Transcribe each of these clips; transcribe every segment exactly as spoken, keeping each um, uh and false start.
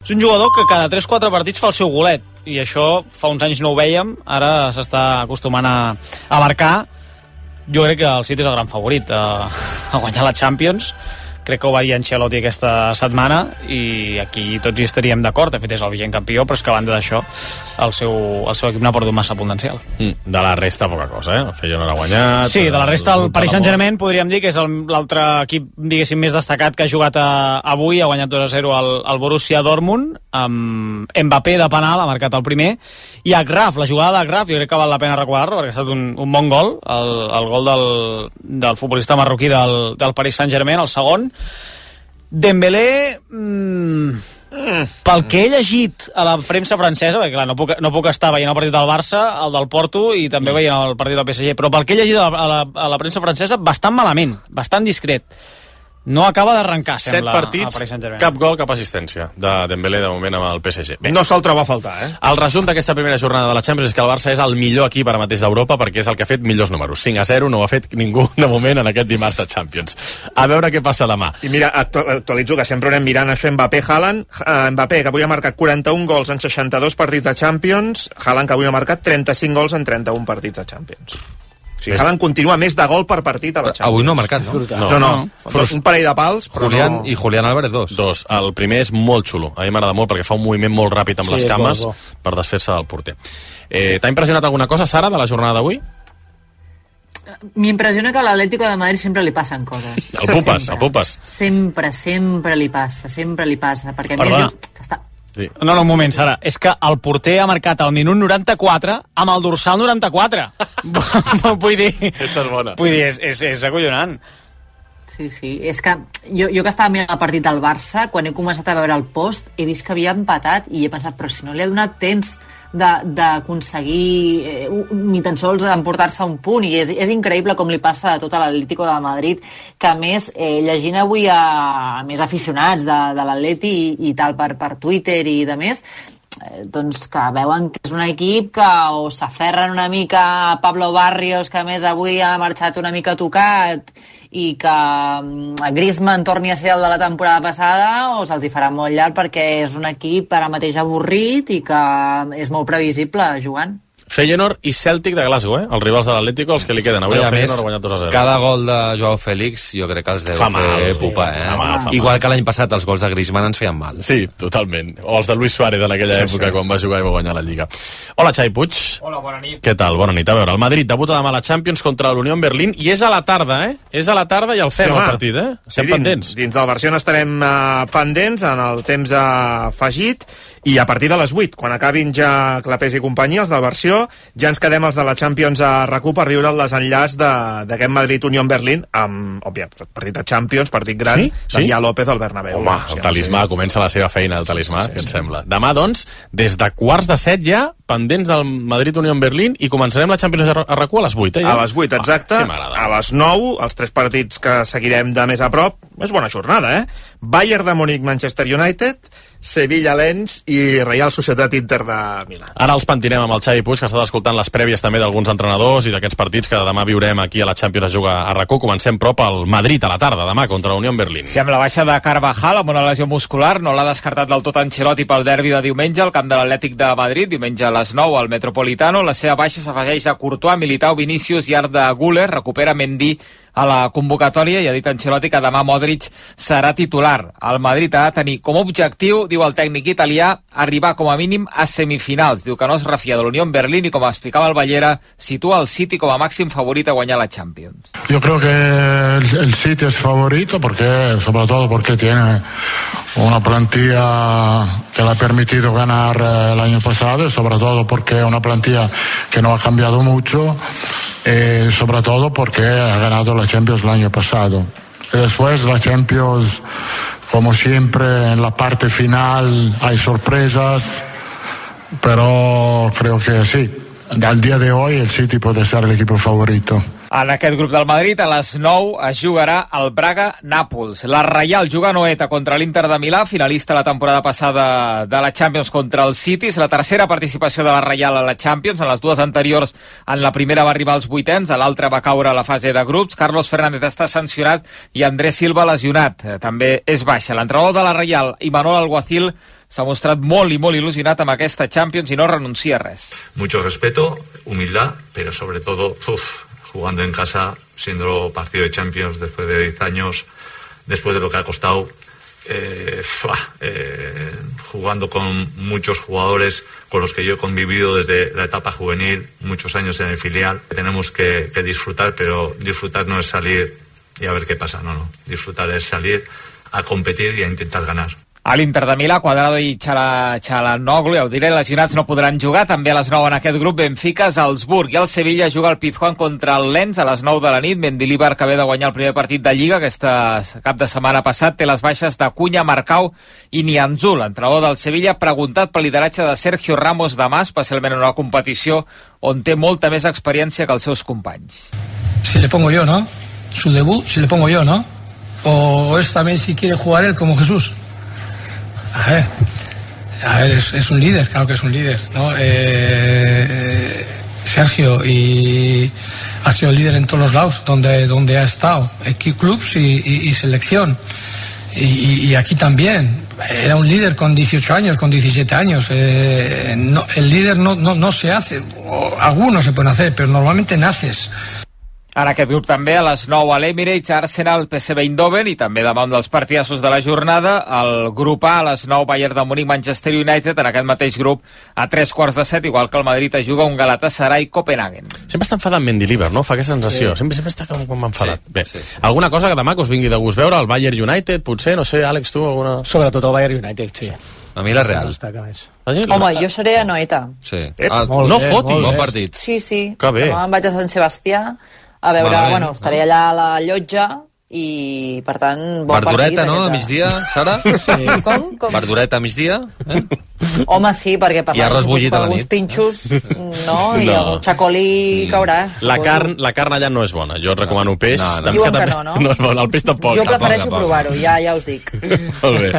És un jugador que cada tres quatre partits fa el seu golet, i això fa uns anys no ho vèiem, ara s'està acostumant a, a marcar. Jo crec que el City és el gran favorit a, a guanyar la Champions. Crec que ho va dir Ancelotti aquesta setmana i aquí tots hi estaríem d'acord. De fet és el vigent campió, però és que a banda d'això el seu, el seu equip n'ha perdut massa potencial. Mm, de la resta poca cosa, eh? El Feyenoord ha guanyat. Sí, de la resta el Paris Saint-Germain podríem dir que és l'altre equip, diguéssim, més destacat que ha jugat a, avui, ha guanyat dos a zero al, al Borussia Dortmund, amb Mbappé de penal, ha marcat el primer, i Agraf, la jugada d'Agraf, jo crec que val la pena recordar-lo perquè ha estat un, un bon gol, el, el gol del, del futbolista marroquí del, del Paris Saint-Germain, el segon. Dembélé, mmm, mm. pel que he llegit a la premsa francesa, perquè clar, no puc, no puc estar veient el partit del Barça, el del Porto i també mm. veient el partit del P S G, però pel que he llegit a la, a la, a la premsa francesa, bastant malament, bastant discret. No acaba d'arrencar, sembla. Set partits, cap gol, cap assistència de Dembélé de moment amb el P S G. Bé. No se'l troba a faltar, eh? El resum d'aquesta primera jornada de la Champions és que el Barça és el millor equip ara mateix d'Europa perquè és el que ha fet millors números. cinc a zero no ho ha fet ningú de moment en aquest dimarts de Champions. A veure què passa demà. I mira, actualitzo que sempre anem mirant això, Mbappé, Haaland. Uh, Mbappé, que avui ha marcat quaranta-un gols en seixanta-dos partits de Champions. Haaland, que avui ha marcat trenta-cinc gols en trenta-un partits de Champions. O sigui, Haaland continua més de gol per partit a la Champions. Avui no ha marcat, no? No, no. no. no. Un parell de pals, però Julián, no... I Julián Álvarez, dos. Dos. El primer és molt xulo. A mi m'agrada molt perquè fa un moviment molt ràpid amb sí, les cames bo, bo. per desfer-se del porter. Eh, T'ha impressionat alguna cosa, Sara, de la jornada d'avui? M'impressiona que a l'Atlético de Madrid sempre li passen coses. El Pupes, el Pupes. Sempre, sempre li passa, sempre li passa. Perquè a més diu que està... Sí. No, no, un moment, Sara. És que el porter ha marcat al minut noranta-quatre amb el dorsal noranta-quatre. Vull dir... Aquesta és bona. Vull dir, és, és, és acollonant. Sí, sí. És que jo, jo que estava mirant el partit del Barça, quan he començat a veure el post, he vist que havia empatat i he pensat, però si no li ha donat temps d'aconseguir eh, ni tan sols emportar-se un punt, i és, és increïble com li passa a tot l'Atlético de Madrid, que a més, eh, llegint avui a, a més aficionats de, de l'Atleti i, i tal per, per Twitter i de més, eh, doncs que veuen que és un equip que o s'aferren una mica a Pablo Barrios, que a més avui ha marxat una mica tocat, i que Griezmann torni a ser el de la temporada passada, o se'ls hi farà molt llarg perquè és un equip ara mateix avorrit i que és molt previsible jugant. Feyenoord i Celtic de Glasgow, eh? Els rivals de l'Atlético, els que li queden. Avui el Feyenoord ha guanyat dos a zero. Cada gol de Joao Félix jo crec que els deu fa mal, fer sí, pupa, eh? Fa mal, fa Igual mal. que l'any passat els gols de Griezmann ens feien mal. Sí, totalment. O els de Luis Suárez en aquella sí, època, sí, quan va jugar i va guanyar la Lliga. Hola, Xavi Puig. Hola, bona nit. Què tal? Bona nit. A veure, el Madrid debuta demà a la Champions contra l'Unión Berlín i és a la tarda, eh? És a la tarda i el fem, sí, el partit, eh? Estem sí, pendents. Dins, dins del Barcelona estarem uh, pendents en el temps afegit i a partir de les vuit, quan acabin ja Clapés i companyia, els del Barció, ja ens quedem els de la Champions a RAC1 per viure el desenllaç d'aquest Madrid-Unión Berlín amb, òbvia, partit de Champions, partit gran, sí? Sí? Damià López al Bernabéu. Home, el talismà, sí, comença la seva feina, el talismà, sí, sí, què sí, et sembla? Demà, doncs, des de quarts de set ja, pendents del Madrid-Unión Berlín, i començarem la Champions a RAC1 a les vuit, eh? Ja? A les vuit, exacte. Ah, sí, a les nou, els tres partits que seguirem de més a prop. És bona jornada, eh? Bayern de Múnich, Manchester United, Sevilla, Lens i Real Societat Inter de Milà. Ara els pentinem amb el Xavi Puig, que ha estat escoltant les prèvies també d'alguns entrenadors i d'aquests partits que demà viurem aquí a la Champions a jugar a RAC1. Comencem prop al Madrid a la tarda, demà, contra la Unión Berlín. Sí, amb la baixa de Carvajal, amb una lesió muscular, no l'ha descartat del tot Ancelotti pel derbi de diumenge al camp de l'Atlètic de Madrid, diumenge a les nou al Metropolitano. La seva baixa s'afegeix a Courtois, Militao, Vinícius i Arda Güler, recupera Mendy a la convocatòria i ha dit Ancelotti que demà Modric serà titular. El Madrid ha de tenir com a objectiu, diu el tècnic italià, arribar com a mínim a semifinals. Diu que no es refia de l'Unión Berlín i, com explicava el Ballera, situa el City com a màxim favorit a guanyar la Champions. Yo creo que el, el City es favorito, porque, sobre todo porque tiene una plantilla que le ha permitido ganar el año pasado, y sobre todo porque es una plantilla que no ha cambiado mucho, y sobre todo porque ha ganado la Champions el año pasado. Y después la Champions, como siempre, en la parte final hay sorpresas, pero creo que sí, al día de hoy el City puede ser el equipo favorito. En aquest grup del Madrid, a les nou, es jugarà el Braga-Nàpols. La Reial juga a Noeta contra l'Inter de Milà, finalista la temporada passada de la Champions contra el City. És la tercera participació de la Reial a la Champions. En les dues anteriors, en la primera va arribar als vuitens, a l'altra va caure a la fase de grups. Carlos Fernández està sancionat i Andrés Silva lesionat. També és baixa. L'entrenador de la Reial, Imanol Alguacil, s'ha mostrat molt i molt il·lusionat amb aquesta Champions i no renuncia a res. Mucho respeto, humildad, pero sobre todo, uf, jugando en casa, siendo partido de Champions después de diez años, después de lo que ha costado, eh, fua, eh, jugando con muchos jugadores con los que yo he convivido desde la etapa juvenil, muchos años en el filial. Tenemos que, que disfrutar, pero disfrutar no es salir y a ver qué pasa, no, no. Disfrutar es salir a competir y a intentar ganar. A l'Inter de Milà, Cuadrado i Çalhanoğlu, ja ho diré, lesionats no podran jugar. També a les nou en aquest grup Benfica, Salzburg i el Sevilla juga el Pizjuán contra el Lens a les nou de la nit. Mendilibar, que ve de guanyar el primer partit de Lliga, aquesta cap de setmana passat, té les baixes de Cunha, Marcau i Nianzú. L'entrenador del Sevilla ha preguntat pel lideratge de Sergio Ramos demà, especialment en una competició on té molta més experiència que els seus companys. Si le pongo yo, ¿no? Su debut, si le pongo yo, ¿no? O es también si quiere jugar él como Jesús. A ver, a ver, es, es un líder, claro que es un líder, ¿no? Eh, Sergio y ha sido líder en todos los lados donde, donde ha estado, clubs y, y, y selección. Y, y aquí también. Era un líder con dieciocho años, con diecisiete años. Eh, no, el líder no, no, no se hace, o algunos se pueden hacer, pero normalmente naces. En aquest grup també a les nou a l'Emirates, Arsenal, P S V Eindhoven i també demà un dels partidassos de la jornada, el grup A a les nou Bayern de Múnich, Manchester United, en aquest mateix grup a tres quarts de set, igual que el Madrid es juga un Galatasaray Copenhagen. Sempre està enfadat Mendilibar, no? Fa aquesta sensació. Sí. Sempre, sempre està com, com enfadat. Sí, Bé, sí, sí, alguna cosa que demà que us vingui de gust veure, el Bayern United, potser, no sé, Àlex, tu, alguna... Sobretot el Bayern United, sí. A mi la Real. Home, jo seré a Noeta. Sí. Ah, no bé, fotis. Bon partit. Sí, sí. Que bé. Demà em vaig a Sant Sebastià a veure, Malament. bueno, estaré allà a la llotja i, per tant, bon Verdureta, partit. no?, a migdia, Sara? Sí. Com? Com? Verdureta a migdia? Eh? Home, sí, perquè per I arròs bullit a la alguns nit. pinxos, no, i No. el xacolí caurà. La carn, la carn allà no és bona. Jo et recomano peix. No, no. també- Diuen que també- no, no? No és bona, el peix tampoc. Jo prefereixo tampoc. provar-ho, ja, ja us dic. Molt bé,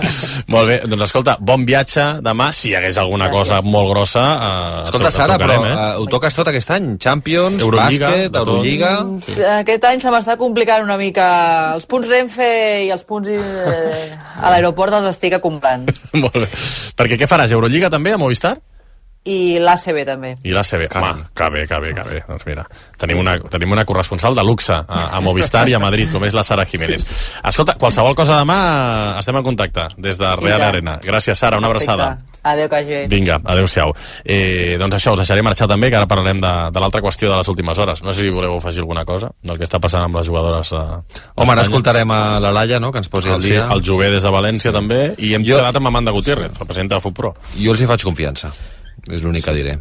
molt bé. Doncs escolta, bon viatge demà. Si hi hagués alguna Gràcies. cosa molt grossa... Eh, Escolta, et Sara, però trucarem, eh? ho toques tot aquest any? Champions, Eurolliga, bàsquet, de tot. Eurolliga... Sí. Aquest any se m'està complicant una mica. Els punts Renfe i els punts eh, a l'aeroport els estic acumulant. Molt bé. Perquè què faràs? Eurolliga també, a Movistar? I l'A C B també. I l'A C B. Home, que bé, que bé, que bé. Doncs mira, tenim una, tenim una corresponsal de luxe a, a Movistar i a Madrid, com és la Sara Jiménez. Escolta, qualsevol cosa demà estem en contacte des de Real Vinga. Arena. Gràcies, Sara, una abraçada. Perfecte. Adéu, que hagi. Vinga, adéu-siau. Eh, doncs això, us deixaré marxar també, que ara parlarem de, de l'altra qüestió de les últimes hores. No sé si voleu afegir alguna cosa del que està passant amb les jugadores eh, Home, ara escoltarem a la Laia, no?, que ens posi el, al dia. sí, el Jové des de València sí. també, i hem Jo- quedat amb Amanda Gutiérrez, representa de Futpro. Jo els hi faig confiança. És l'únic que diré.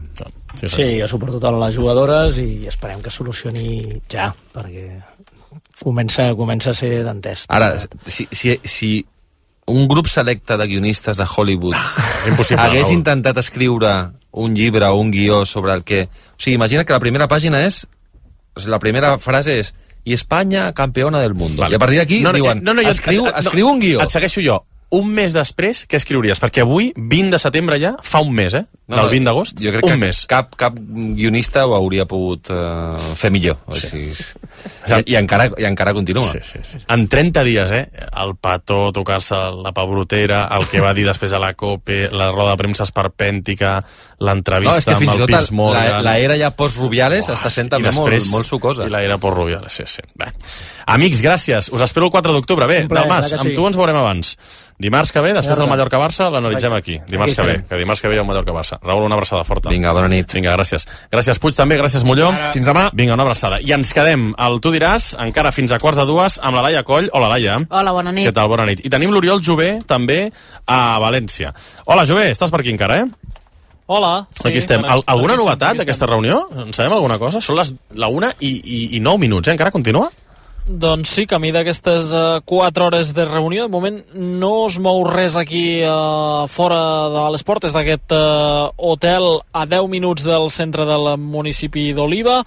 Sí, Sí, jo suporto totes les jugadores i esperem que solucioni ja, perquè comença, comença a ser d'entès. Ara, si, si, si un grup selecte de guionistes de Hollywood Impossible, hagués Raül. intentat escriure un llibre o un guió sobre el que... O sigui, imagina que la primera pàgina és... O sigui, la primera frase és i Espanya campeona del mundo. Vale. I a partir d'aquí No, no, diuen, no, no, jo- escriu, et- escriu un guió. Et segueixo jo. Un mes després, què escriuries? Perquè avui, vint de setembre ja, fa un mes, eh? No, Del vint d'agost, jo crec un que mes. Cap, cap guionista ho hauria pogut uh, fer millor. O sigui, I, i, encara, I encara continua. Sí, sí, sí. En trenta dies, eh? El petó, tocar-se la pebrotera, el que va dir després a la COPE, la roda de premsa esperpèntica, l'entrevista No, és que fins amb i el tot Piers Morgan... la, la era ja post-Rubiales està sent també I després- molt, molt sucosa. I la era post-Rubiales, sí, sí. Bé. Amics, gràcies. Us espero el quatre d'octubre. Bé, Un plaer, Dalmas, clar que amb sí. tu ens veurem abans. Dimarts que ve, després del Mallorca. Mallorca-Barça, l'analitzem aquí. Dimarts Aquí que ve, estarem. que dimarts que ve hi ha un Mallorca-Barça. Raül, una abraçada forta. Vinga, bona nit. Vinga, gràcies. Gràcies, Puig, també. Gràcies, Molló. Fins demà. Vinga, una abraçada. I ens quedem, el tu diràs, encara fins a quarts de dues, amb la Laia Coll. Hola, Laia. Hola, bona nit. Què tal? Bona nit. I tenim l'Oriol Jové, també, a València. Hola, Jové, estàs per aquí encara, eh? Hola. Aquí estem. Al alguna novetat d'aquesta reunió? En sabem alguna cosa? Són les la una i, i, i nou minuts, eh? Encara continua? Doncs sí, camí d'aquestes uh, quatre hores de reunió. De moment no es mou res aquí uh, fora de les portes d'aquest uh, hotel a deu minuts del centre del municipi d'Oliva.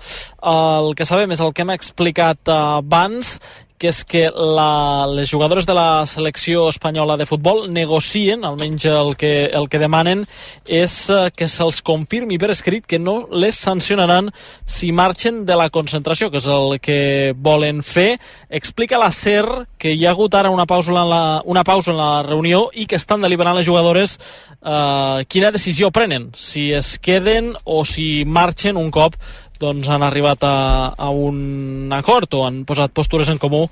Uh, el que sabem és el que hem explicat uh, abans, que és que la, les jugadores de la selecció espanyola de futbol negocien, almenys el que, el que demanen és que se'ls confirmi per escrit que no les sancionaran si marxen de la concentració, que és el que volen fer. Explica la SER que hi ha hagut ara una pausa en la, una pausa en la reunió i que estan deliberant les jugadores eh, quina decisió prenen, si es queden o si marxen un cop doncs han arribat a, a un acord o han posat postures en comú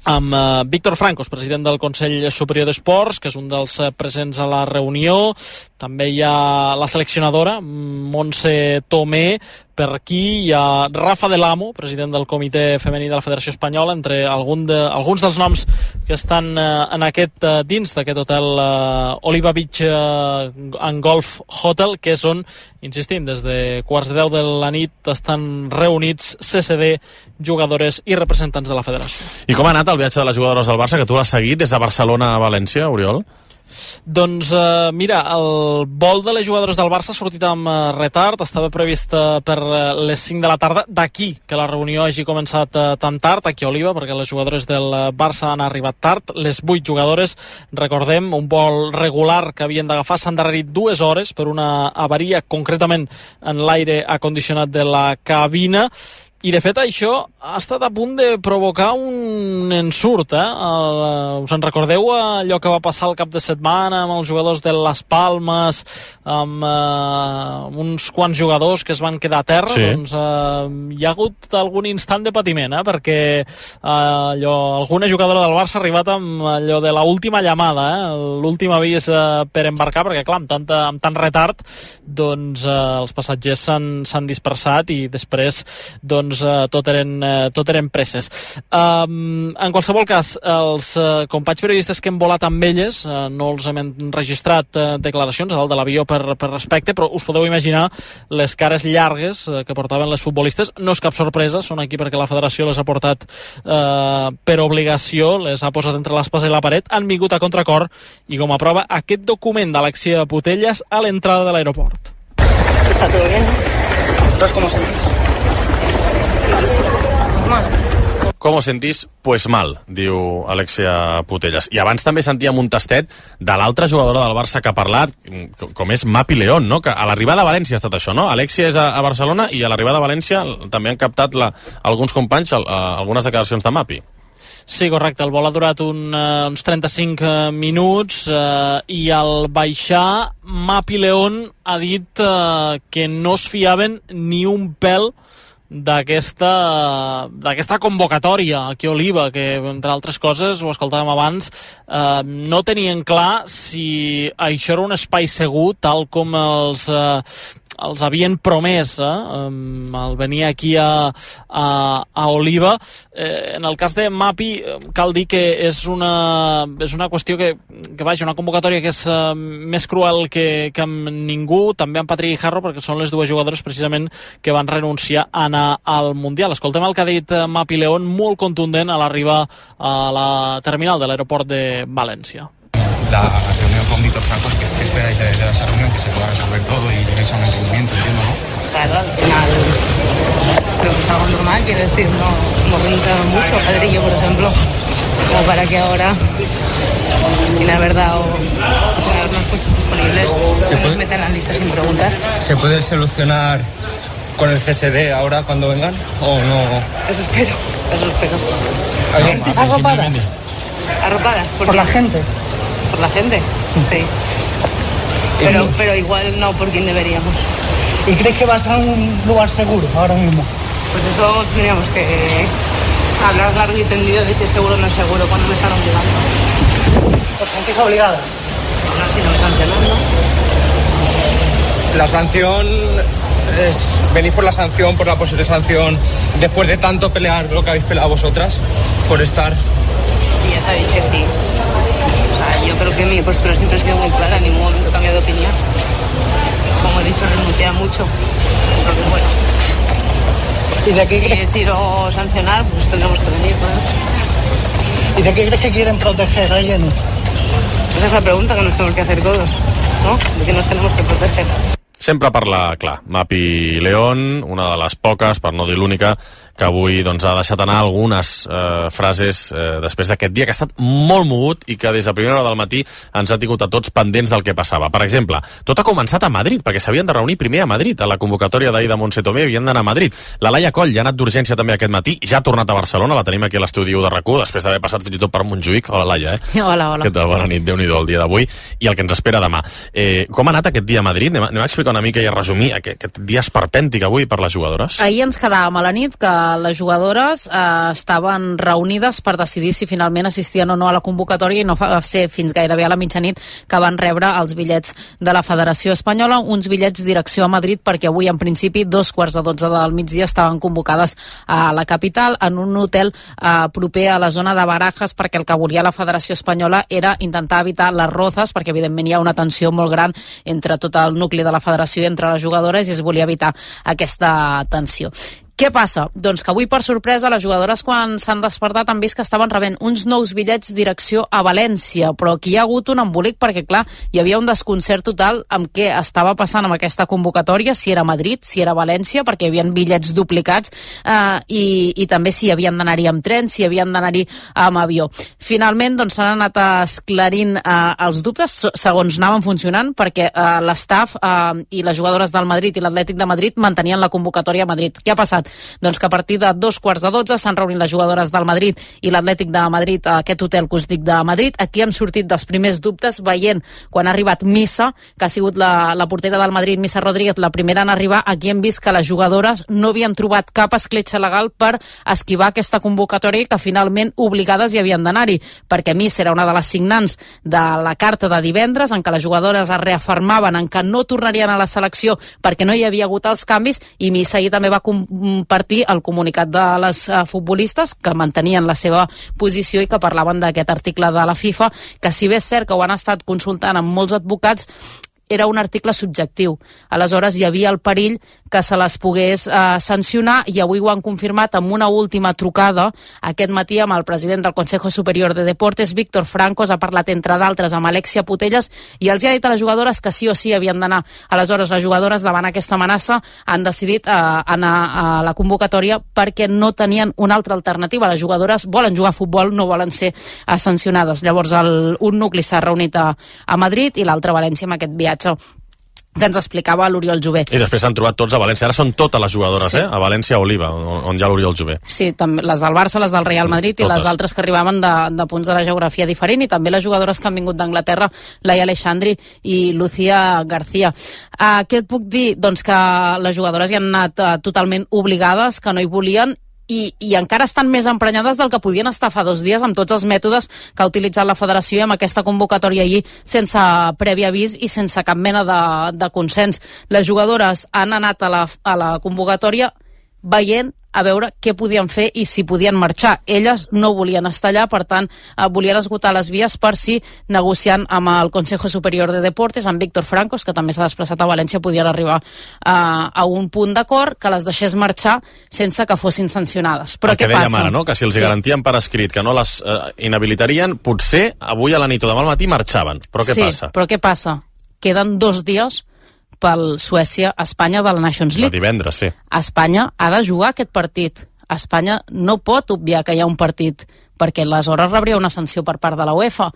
amb uh, Víctor Francos, president del Consell Superior d'Esports, que és un dels uh, presents a la reunió. També hi ha la seleccionadora, Montse Tomé, per aquí hi ha Rafa Del Amo, president del Comitè Femení de la Federació Espanyola, entre algun de, alguns dels noms que estan uh, en aquest, uh, dins d'aquest hotel uh, Oliva Beach uh, and Golf Hotel, que és on, insistim, des de quarts de deu de la nit estan reunits C C D, jugadores i representants de la federació. I com ha anat el viatge de les jugadores del Barça, que tu l'has seguit des de Barcelona a València, Oriol? Doncs eh, mira, el vol de les jugadores del Barça ha sortit amb eh, retard, estava previst eh, per eh, les cinc de la tarda, d'aquí que la reunió hagi començat eh, tan tard, aquí a Oliva, perquè les jugadores del Barça han arribat tard, les vuit jugadores, recordem, un vol regular que havien d'agafar, s'han endarrerit dues hores per una avaria, concretament en l'aire acondicionat de la cabina. I, de fet, això ha estat a punt de provocar un ensurt, eh? El, us en recordeu allò que va passar el cap de setmana amb els jugadors de Las Palmas, amb eh, uns quants jugadors que es van quedar a terra? Sí. Doncs eh, hi ha hagut algun instant de patiment, eh? Perquè eh, allò, alguna jugadora del Barça ha arribat amb allò de l'última llamada, eh? L'últim avís eh, per embarcar, perquè, clar, amb, tanta, amb tant retard, doncs eh, els passatgers s'han dispersat i després, doncs, doncs uh, tot, eren, uh, tot eren presses. Um, en qualsevol cas, els uh, companys periodistes que hem volat amb elles, uh, no els hem registrat uh, declaracions a dalt de l'avió per, per respecte, però us podeu imaginar les cares llargues uh, que portaven les futbolistes. No és cap sorpresa, són aquí perquè la federació les ha portat uh, per obligació, les ha posat entre l'espasa i la paret, han vingut a contracor i com a prova aquest document d'Alexia Putellas a l'entrada de l'aeroport. Està tot bé, ¿no? ¿Vosotros cómo sentís? Com ho sentís? Pues mal, diu Alexia Putellas. I abans també sentíem un tastet de l'altra jugadora del Barça que ha parlat, com és Mapi León, no? Que a l'arribada a València ha estat això, no? Alexia és a, a Barcelona i a l'arribada a València també han captat la, alguns companys a, a, algunes declaracions de Mapi. Sí, correcte. El vol ha durat un, uh, uns trenta-cinc uh, minuts uh, i al baixar Mapi León ha dit uh, que no es fiaven ni un pèl d'aquesta d'aquesta convocatòria aquí a Oliva, que entre altres coses, ho escoltàvem abans, eh, no tenien clar si això era un espai segur tal com els eh, els havien promès eh, al venir aquí a, a, a Oliva. Eh, en el cas de Mapi cal dir que és una, és una qüestió que, que vaja, una convocatòria que és uh, més cruel que, que amb ningú, també amb Patri Guijarro, perquè són les dues jugadores precisament que van renunciar a anar al Mundial. Escoltem el que ha dit Mapi León, molt contundent a l'arribar a la terminal de l'aeroport de València. La reunión con Víctor Francos, ¿qué, qué esperáis de, de esa reunión? Que se pueda resolver todo y lleguéis a un entendimiento, entiendo, ¿no? Claro, al final creo que es algo normal, quiero decir, no hemos renunciado mucho, Pedrillo, por ejemplo, como para que ahora, sin haber dado, sin habernos puesto disponibles, se nos metan en la lista sin preguntar. ¿Se puede solucionar con el C S D ahora cuando vengan o no? Eso espero, eso espero. ¿Hay arropadas? Arropadas. ¿Por, ¿Por la gente? Por la gente, sí. Pero, pero igual no por quien deberíamos. ¿Y crees que vas a un lugar seguro ahora mismo? Pues eso tendríamos que hablar largo y tendido de si es seguro o no es seguro cuando me están obligando. ¿Os sentís obligadas? No, si no me sancionan, ¿no? La sanción es... ¿Venís por la sanción, por la posible sanción, después de tanto pelear lo que habéis peleado vosotras, por estar? Sí, ya sabéis que sí. Yo creo que mi postura siempre ha sido muy clara, en ningún momento he cambiado de opinión. Como he dicho, renuncia mucho. Entonces, bueno. ¿Y de qué si crees? es ir o sancionar, pues tendremos que venir, ¿no? ¿Y de qué crees que quieren proteger a Jenny? Esa es la pregunta que nos tenemos que hacer todos, ¿no? ¿De qué nos tenemos que proteger? Sempre parla, clar, Mapi León, una de les poques, per no dir l'única, que avui doncs, ha deixat anar algunes eh, frases eh, després d'aquest dia que ha estat molt mogut i que des de primera hora del matí ens ha tingut a tots pendents del que passava. Per exemple, tot ha començat a Madrid, perquè s'havien de reunir primer a Madrid, a la convocatòria d'ahir de Montse Tomé, havien d'anar a Madrid. La Laia Coll ja ha anat d'urgència també aquest matí, ja ha tornat a Barcelona, la tenim aquí a l'estudi de RAC u, després d'haver passat fins i tot per Montjuïc. Hola, Laia, eh? Hola, hola. Què tal? Bona nit, Déu-n'hi-do el dia d'avui i el que ens espera demà. Eh, com ha anat aquest dia a Madrid? Anem a, anem a explicar una mica i a resumir aquest, aquest dia esperpèntic avui per les jugadores. Ahir ens quedàvem a la nit que les jugadores eh, estaven reunides per decidir si finalment assistien o no a la convocatòria i no va ser fins gairebé a la mitjanit que van rebre els bitllets de la Federació Espanyola, uns bitllets direcció a Madrid perquè avui en principi dos quarts de dotze del migdia estaven convocades a la capital en un hotel eh, proper a la zona de Barajas perquè el que volia la Federació Espanyola era intentar evitar les rozes perquè evidentment hi ha una tensió molt gran entre tot el nucli de la Federació i entre les jugadores i es volia evitar aquesta tensió. Què passa? Doncs que avui, per sorpresa, les jugadores quan s'han despertat han vist que estaven rebent uns nous bitllets direcció a València, però aquí hi ha hagut un embolic perquè, clar, hi havia un desconcert total amb què estava passant amb aquesta convocatòria, si era Madrid, si era València, perquè hi havia bitllets duplicats eh, i, i també si havien d'anar-hi amb tren, si havien d'anar-hi amb avió. Finalment, doncs, s'han anat esclarint eh, els dubtes segons anaven funcionant perquè eh, l'estaf eh, i les jugadores del Madrid i l'Atlètic de Madrid mantenien la convocatòria a Madrid. Què ha passat? Doncs que a partir de dos quarts de dotze s'han reunit les jugadores del Madrid i l'Atlètic de Madrid a aquest hotel que us dic de Madrid. Aquí hem sortit dels primers dubtes veient quan ha arribat Missa, que ha sigut la, la portera del Madrid, Missa Rodríguez, la primera en arribar. Aquí hem vist que les jugadores no havien trobat cap escletxa legal per esquivar aquesta convocatòria i que finalment obligades hi havien d'anar-hi, perquè Missa era una de les signants de la carta de divendres en què les jugadores es reafirmaven en que no tornarien a la selecció perquè no hi havia hagut els canvis i Missa ahir també va compartir el comunicat de les uh, futbolistes que mantenien la seva posició i que parlaven d'aquest article de la FIFA, que si bé és cert que ho han estat consultant amb molts advocats, era un article subjectiu. Aleshores hi havia el perill que se les pogués eh, sancionar i avui ho han confirmat amb una última trucada aquest matí amb el president del Consejo Superior de Deportes, Víctor Francos, ha parlat entre d'altres amb Alexia Putellas i els ha dit a les jugadores que sí o sí havien d'anar. Aleshores les jugadores davant aquesta amenaça han decidit eh, anar a la convocatòria perquè no tenien una altra alternativa. Les jugadores volen jugar a futbol, no volen ser eh, sancionades. Llavors el, un nucli s'ha reunit a, a Madrid i l'altre a València amb aquest viatge que ens explicava l'Oriol Jové. I després s'han trobat tots a València. Ara són totes les jugadores, sí. eh? A València Oliva, on, on hi ha l'Oriol Jové. Sí, també, les del Barça, les del Real Madrid totes. I les altres que arribaven de, de punts de la geografia diferent i també les jugadores que han vingut d'Anglaterra, Laia Aleixandri i Lucía García. Uh, què et puc dir? Doncs que les jugadores hi han anat uh, totalment obligades, que no hi volien I, i encara estan més emprenyades del que podien estar fa dos dies amb tots els mètodes que ha utilitzat la federació i amb aquesta convocatòria allí sense previ avís i sense cap mena de, de consens. Les jugadores han anat a la, a la convocatòria veient a veure què podien fer i si podien marxar. Elles no volien estar allà, per tant, eh, volien esgotar les vies per si, negociant amb el Consejo Superior de Deportes, amb Víctor Francos, que també s'ha desplaçat a València, podien arribar eh, a un punt d'acord que les deixés marxar sense que fossin sancionades. Però el què que dèiem passa? ara, no? Que si els sí. garantien per escrit que no les eh, inhabilitarien, potser avui a la nit o demà al matí marxaven. Però què sí, passa? però què passa? Queden dos dies pel Suècia-Espanya de la Nations League. El divendres, sí. Espanya ha de jugar aquest partit. Espanya no pot obviar que hi ha un partit, perquè aleshores rebria una sanció per part de la UEFA.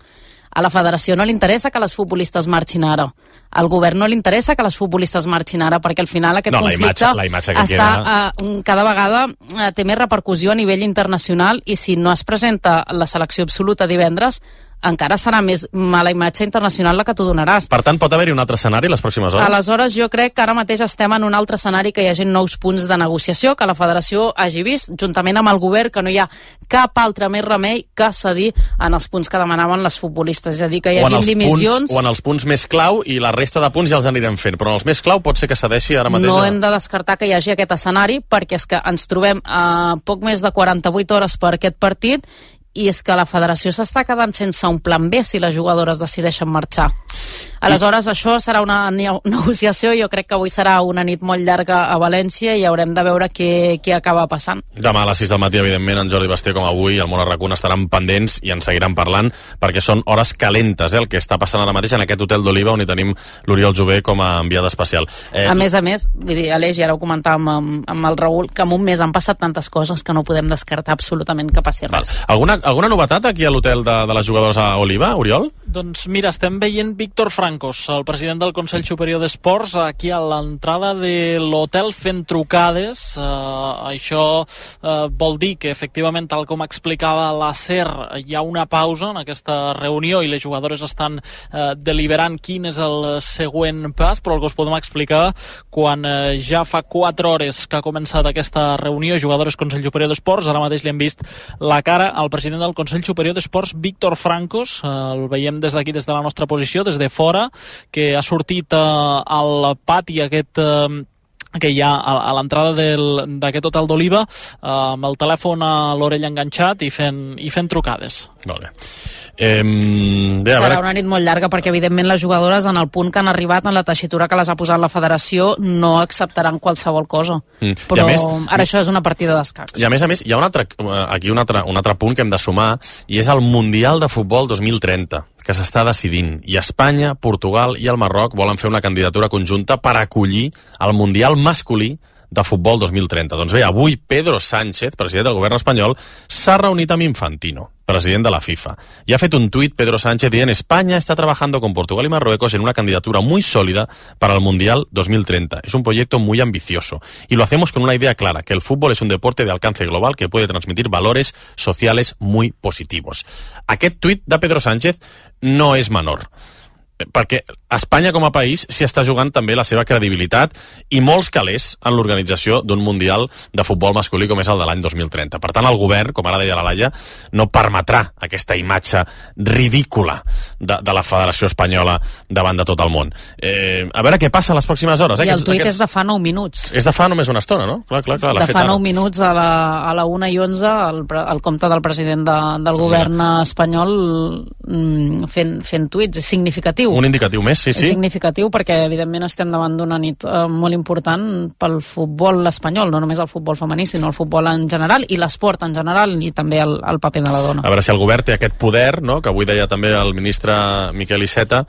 A la federació no li interessa que les futbolistes marxin ara. Al govern no li interessa que les futbolistes marxin ara, perquè al final aquest no, conflicte la imatge, la imatge que està, queda... uh, cada vegada uh, té més repercussió a nivell internacional i si no es presenta la selecció absoluta divendres, encara serà més mala imatge internacional la que tu donaràs. Per tant, pot haver-hi un altre escenari les pròximes hores? Aleshores, jo crec que ara mateix estem en un altre escenari que hi hagi nous punts de negociació, que la federació hagi vist, juntament amb el govern, que no hi ha cap altre més remei que cedir en els punts que demanaven les futbolistes. És a dir, que hi hagi dimissions... Punts, o en els punts més clau i la resta de punts ja els anirem fent, però en els més clau pot ser que cedeixi ara mateix... No a... hem de descartar que hi hagi aquest escenari, perquè és que ens trobem a poc més de quaranta-vuit hores per aquest partit i és que la federació s'està quedant sense un plan B si les jugadores decideixen marxar. Aleshores, això serà una negociació, jo crec que avui serà una nit molt llarga a València i haurem de veure què, què acaba passant. Demà a les sis del matí, evidentment, en Jordi Basté com avui, el Món Arracuna estaran pendents i ens seguiran parlant, perquè són hores calentes, eh, el que està passant ara mateix en aquest hotel d'Oliva on hi tenim l'Oriol Jové com a enviada especial. Eh, a més a més, vull dir, Aleix, i ara ho comentàvem amb, amb el Raül, que en un mes han passat tantes coses que no podem descartar absolutament que passi res. Alguna, alguna novetat aquí a l'hotel de, de les jugadores a Oliva, Oriol? Doncs mira, estem veient Víctor Francos, el president del Consell Superior d'Esports, aquí a l'entrada de l'hotel fent trucades. Uh, això uh, vol dir que, efectivament, tal com explicava la SER, hi ha una pausa en aquesta reunió i les jugadores estan uh, deliberant quin és el següent pas, però el que us podem explicar, quan uh, ja fa quatre hores que ha començat aquesta reunió, jugadores Consell Superior d'Esports, ara mateix li hem vist la cara al president del Consell Superior d'Esports, Víctor Francos, uh, el veiem des d'aquí, des de la nostra posició, des de fora, que ha sortit uh, al pati aquest uh, que hi ha a, a l'entrada d'aquest hotel d'Oliva, uh, amb el telèfon a l'orella enganxat i fent, i fent trucades. Molt bé. Eh, bé Serà veure... una nit molt llarga perquè evidentment les jugadores en el punt que han arribat en la tessitura que les ha posat la federació no acceptaran qualsevol cosa, mm. però més, ara això és una partida d'escacs. I a més a més hi ha un altre, aquí un altre, un altre punt que hem de sumar, i és el Mundial de Futbol dos mil trenta, que s'està decidint, i Espanya, Portugal i el Marroc volen fer una candidatura conjunta per acollir el Mundial masculí de Futbol dos mil trenta. Doncs bé, avui Pedro Sánchez, president del govern espanyol, s'ha reunit amb Infantino, president de la FIFA. Y ha fet un tuit Pedro Sánchez dient: España está trabajando con Portugal y Marruecos en una candidatura muy sólida para el Mundial dos mil treinta. Es un proyecto muy ambicioso y lo hacemos con una idea clara, que el fútbol es un deporte de alcance global que puede transmitir valores sociales muy positivos. Aquest tuit de Pedro Sánchez no és menor, perquè Espanya com a país s'hi està jugant també la seva credibilitat i molts calés en l'organització d'un Mundial de futbol masculí com és el de l'any dos mil trenta. Per tant, el govern, com ara deia la Laia, no permetrà aquesta imatge ridícula de, de la Federació Espanyola davant de tot el món. Eh, a veure què passa a les pròximes hores. Eh? I el tuit aquests... és de fa nou minuts. És de fa només una estona, no? Clar, clar, clar, de fa nou minuts a la, a la una i onze el, el compte del president de, del govern Mira. espanyol mm, fent, fent tuits. És significatiu. Un indicatiu més, sí, sí. És significatiu perquè, evidentment, estem davant d'una nit eh, molt important pel futbol espanyol, no només el futbol femení, sinó el futbol en general i l'esport en general i també el, el paper de la dona. A veure si el govern té aquest poder, no?, que avui deia també el ministre Miquel Iceta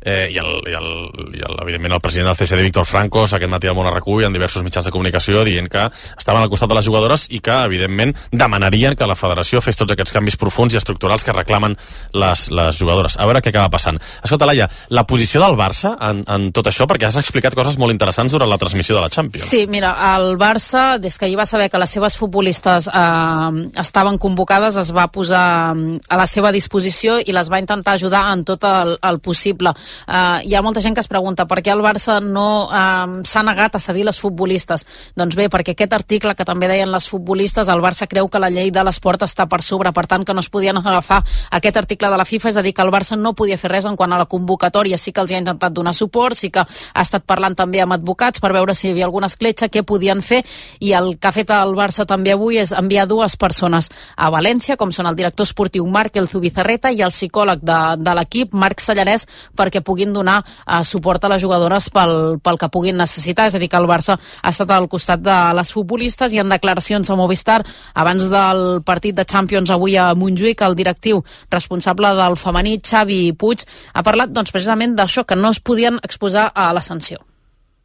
eh, i, el, i, el, i el, evidentment el president del C S D, Víctor Francos, aquest matí al Món Arracú i en diversos mitjans de comunicació dient que estaven al costat de les jugadores i que, evidentment, demanarien que la federació fes tots aquests canvis profuns i estructurals que reclamen les, les jugadores. A veure què acaba passant. Escolta, Laia, la posició del Barça en, en tot això, perquè has explicat coses molt interessants durant la transmissió de la Champions. Sí, mira, el Barça, des que hi va saber que les seves futbolistes eh, estaven convocades, es va posar a la seva disposició i les va intentar ajudar en tot el, el possible. Eh, hi ha molta gent que es pregunta per què el Barça no eh, s'ha negat a cedir les futbolistes. Doncs bé, perquè aquest article que també deien les futbolistes, el Barça creu que la llei de l'esport està per sobre, per tant que no es podien agafar aquest article de la FIFA, és a dir, que el Barça no podia fer res en quant a la convocatòria. Sí que els hi ha intentat donar suport, sí que ha estat parlant també amb advocats per veure si hi havia alguna escletxa, què podien fer, i el que ha fet el Barça també avui és enviar dues persones a València, com són el director esportiu Marc El Zubizarreta i el psicòleg de, de l'equip, Marc Sallarès, perquè puguin donar uh, suport a les jugadores pel, pel que puguin necessitar. És a dir, que el Barça ha estat al costat de les futbolistes, i en declaracions a Movistar abans del partit de Champions avui a Montjuïc, el directiu responsable del femení, Xavi Puig, ha parlat doncs, precisament d'això, que no es podien exposar a la sanció.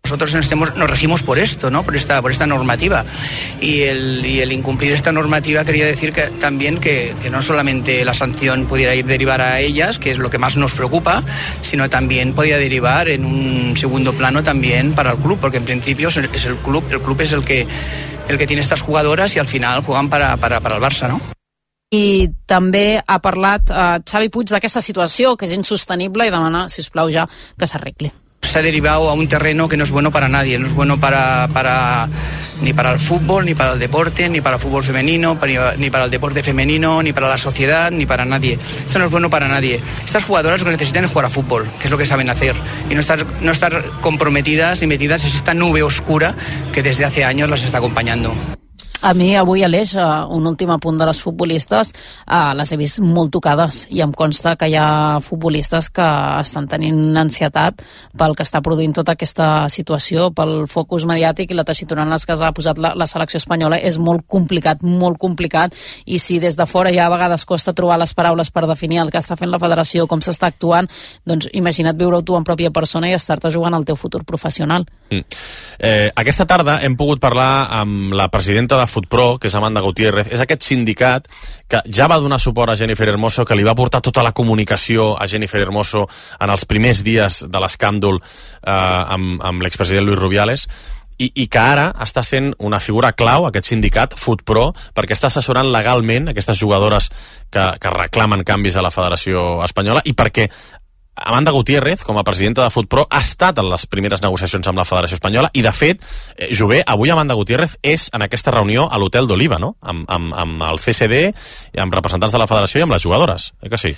Nosotros nos, estemos, nos regimos por esto, ¿no? por, esta, por esta normativa, y el, y el incumplir esta normativa quería decir que también que, que no solamente la sanción pudiera ir derivar a ellas, que es lo que más nos preocupa, sino también podía derivar en un segundo plano también para el club, porque en principio es el, es el club, el club es el que, el que tiene estas jugadoras y al final juegan para, para, para el Barça, ¿no? I també ha parlat eh, Xavi Puig d'aquesta situació, que és insostenible, i demana, si us plau, ja que s'arregli. Se ha derivado a un terreno que no es bueno para nadie, no es bueno para, para ni para el fútbol, ni para el deporte, ni para el fútbol femenino, ni para el deporte femenino, ni para la sociedad, ni para nadie. Esto no es bueno para nadie. Estas jugadoras lo que necesitan es jugar a fútbol, que es lo que saben hacer, y no estar, no estar comprometidas y metidas en esta nube oscura que desde hace años las está acompañando. A mi avui, Aleix, un últim apunt de les futbolistes, eh, les he vist molt tocades i em consta que hi ha futbolistes que estan tenint ansietat pel que està produint tota aquesta situació, pel focus mediàtic i la tessitura en les que s'ha posat la, la selecció espanyola. És molt complicat, molt complicat, i si des de fora ja a vegades costa trobar les paraules per definir el que està fent la federació, com s'està actuant, doncs imagina't viure-ho tu en pròpia persona i estar-te jugant el teu futur professional. Mm. Eh, aquesta tarda hem pogut parlar amb la presidenta de FutPro, que és Amanda Gutiérrez. És aquest sindicat que ja va donar suport a Jennifer Hermoso, que li va portar tota la comunicació a Jennifer Hermoso en els primers dies de l'escàndol eh, amb, amb l'expresident Luis Rubiales, i, i que ara està sent una figura clau, aquest sindicat, FutPro, perquè està assessorant legalment aquestes jugadores que, que reclamen canvis a la Federació Espanyola, i perquè Amanda Gutiérrez, com a presidenta de FutPro, ha estat en les primeres negociacions amb la Federació Espanyola, i de fet, eh, Jové, avui Amanda Gutiérrez és en aquesta reunió a l'Hotel d'Oliva, no? Amb, amb, amb el C C D, amb representants de la Federació i amb les jugadores, eh que sí?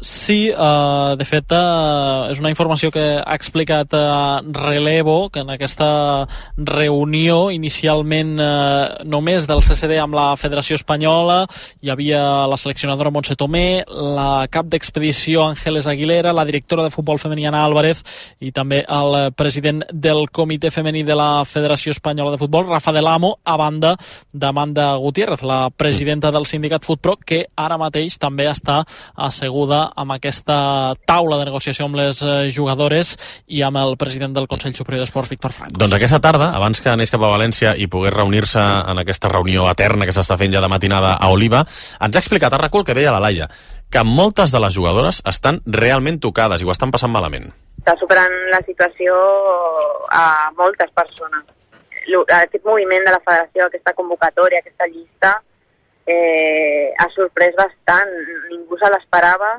Sí, uh, de fet uh, és una informació que ha explicat uh, Relevo, que en aquesta reunió inicialment uh, només del C C D amb la Federació Espanyola hi havia la seleccionadora Montse Tomé, la cap d'expedició Ángeles Aguilera, la directora de futbol femení Ana Álvarez i també el president del comitè femení de la Federació Espanyola de Futbol, Rafa del Amo, a banda d'Amanda Gutiérrez, la presidenta del sindicat FutPro, que ara mateix també està asseguda amb aquesta taula de negociació amb les jugadores i amb el president del Consell Superior d'Esports, Víctor Franco. Doncs aquesta tarda, abans que anés cap a València i pogués reunir-se en aquesta reunió eterna que s'està fent ja de matinada a Oliva, ens ha explicat a RAC u el que deia la Laia, que moltes de les jugadores estan realment tocades i ho estan passant malament. Està superant la situació a moltes persones. Aquest moviment de la federació, aquesta convocatòria, aquesta llista, eh, ha sorprès bastant. Ningú se l'esperava.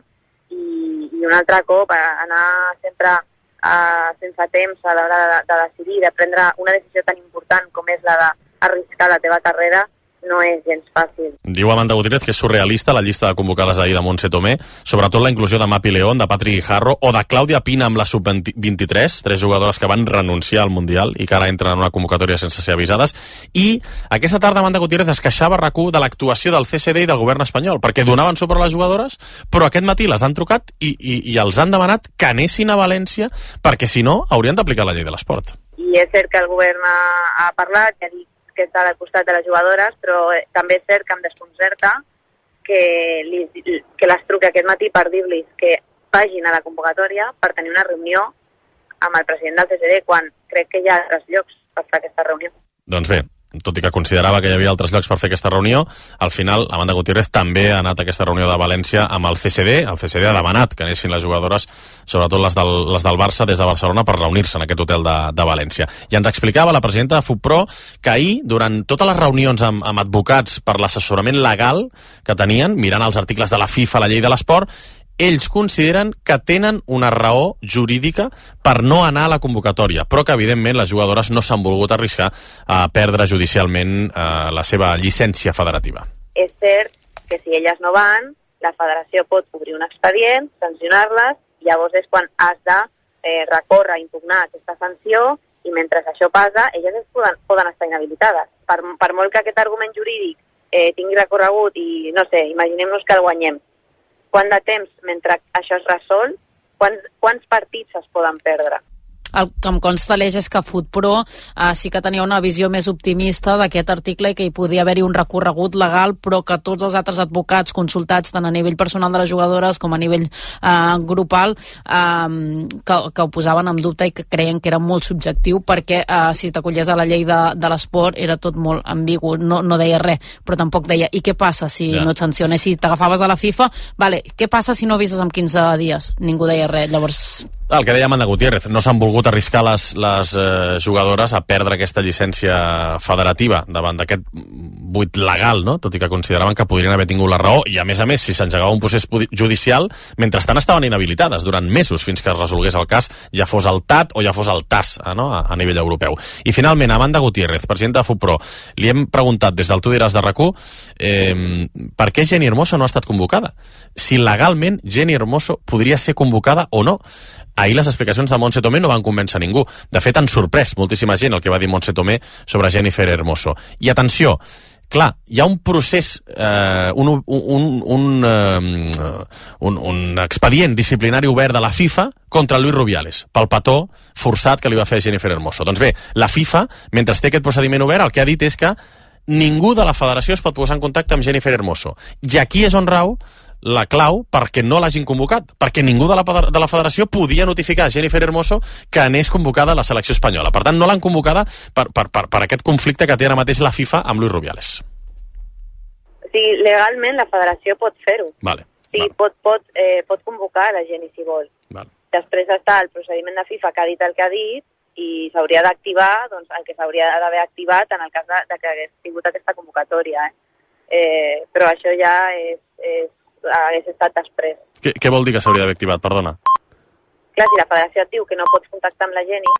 I, i un altre cop anar sempre uh, sense temps a l'hora de, de decidir, de prendre una decisió tan important com és la d'arriscar la teva carrera, no és gens fàcil. Diu Amanda Gutiérrez que és surrealista la llista de convocades ahir de Montse Tomé, sobretot la inclusió de Mapi León, de Patrick Guijarro o de Clàudia Pina amb la sub vint-i-tres, tres jugadores que van renunciar al Mundial i que ara entren en una convocatòria sense ser avisades. I aquesta tarda Amanda Gutiérrez es queixava a RAC u de l'actuació del C C D i del govern espanyol, perquè donaven suport a les jugadores, però aquest matí les han trucat i, i, i els han demanat que anessin a València, perquè si no haurien d'aplicar la llei de l'esport. I és cert que el govern ha, ha parlat, ja dic que està al costat de les jugadores, però també és cert que em desconcerta que, li, que les truqui aquest matí per dir-los que vagin a la convocatòria per tenir una reunió amb el president del C C D, quan crec que hi ha altres llocs per fer aquesta reunió. Doncs bé, tot i que considerava que hi havia altres llocs per fer aquesta reunió, al final Amanda Gutiérrez també ha anat a aquesta reunió de València amb el C C D. El C C D ha demanat que anessin les jugadores, sobretot les del, les del Barça, des de Barcelona per reunir-se en aquest hotel de, de València. I ens explicava la presidenta de FutPro que ahir, durant totes les reunions amb, amb advocats per l'assessorament legal que tenien, mirant els articles de la FIFA, la llei de l'esport, ells consideren que tenen una raó jurídica per no anar a la convocatòria, però que evidentment les jugadores no s'han volgut arriscar a perdre judicialment eh, la seva llicència federativa. És cert que si elles no van, la federació pot obrir un expedient, sancionar-les, i llavors és quan has de eh, recórrer, impugnar aquesta sanció, i mentre això passa, elles es poden, poden estar inhabilitades. Per, per molt que aquest argument jurídic eh, tingui recorregut i, no sé, imaginem-nos que el guanyem, quant de temps mentre això es resol, quants, quants partits es poden perdre? El que em consta, Aleix, és que FutPro eh, sí que tenia una visió més optimista d'aquest article i que hi podia haver-hi un recorregut legal, però que tots els altres advocats consultats, tant a nivell personal de les jugadores com a nivell eh, grupal, eh, que, que ho posaven en dubte i que creien que era molt subjectiu, perquè eh, si t'acollies a la llei de, de l'esport era tot molt ambigu, no, no deia res, però tampoc deia, i què passa si ja. no et sanciones? Si t'agafaves a la FIFA, vale, què passa si no avises en quinze dies? Ningú deia res, llavors... El que deia Amanda Gutiérrez, no s'han volgut arriscar les, les eh, jugadores a perdre aquesta llicència federativa davant d'aquest buit legal, no? Tot i que consideraven que podrien haver tingut la raó, i a més a més, si s'engegava un procés judicial, mentrestant estaven inhabilitades durant mesos fins que es resolgués el cas, ja fos el T A T o ja fos el T A S eh, no? a, a nivell europeu. I finalment, Amanda Gutiérrez, presidenta de FutPro, li hem preguntat des del Tu diràs de RAC u eh, per què Jenni Hermoso no ha estat convocada? Si legalment Jenni Hermoso podria ser convocada o no. Ahir les explicacions de Montse Tomé no van convèncer ningú. De fet, han sorprès moltíssima gent el que va dir Montse Tomé sobre Jennifer Hermoso. I atenció, clar, hi ha un procés, eh, un, un, un, eh, un, un expedient disciplinari obert de la FIFA contra Luis Rubiales, pel petó forçat que li va fer a Jennifer Hermoso. Doncs bé, la FIFA, mentre té aquest procediment obert, el que ha dit és que ningú de la federació es pot posar en contacte amb Jennifer Hermoso. I aquí és on rau la clau perquè no l'hagin convocat, perquè ningú de la, de la federació podia notificar a Jennifer Hermoso que anés convocada a la selecció espanyola. Per tant, no l'han convocada per, per, per, per aquest conflicte que té ara mateix la FIFA amb Luis Rubiales. Sí, legalment la federació pot fer-ho. Vale. Sí, vale. pot, pot, eh, pot convocar a la Jenny si vol. Vale. Després està el procediment de FIFA que ha dit el que ha dit i s'hauria d'activar doncs, el que s'hauria d'haver activat en el cas de, de que hagués tingut aquesta convocatòria. Eh? Eh, però això ja és, és hagués estat després. Què, què vol dir que s'hauria d'haver activat? Perdona. Clar, si la federació et diu que no pots contactar amb la Jenny,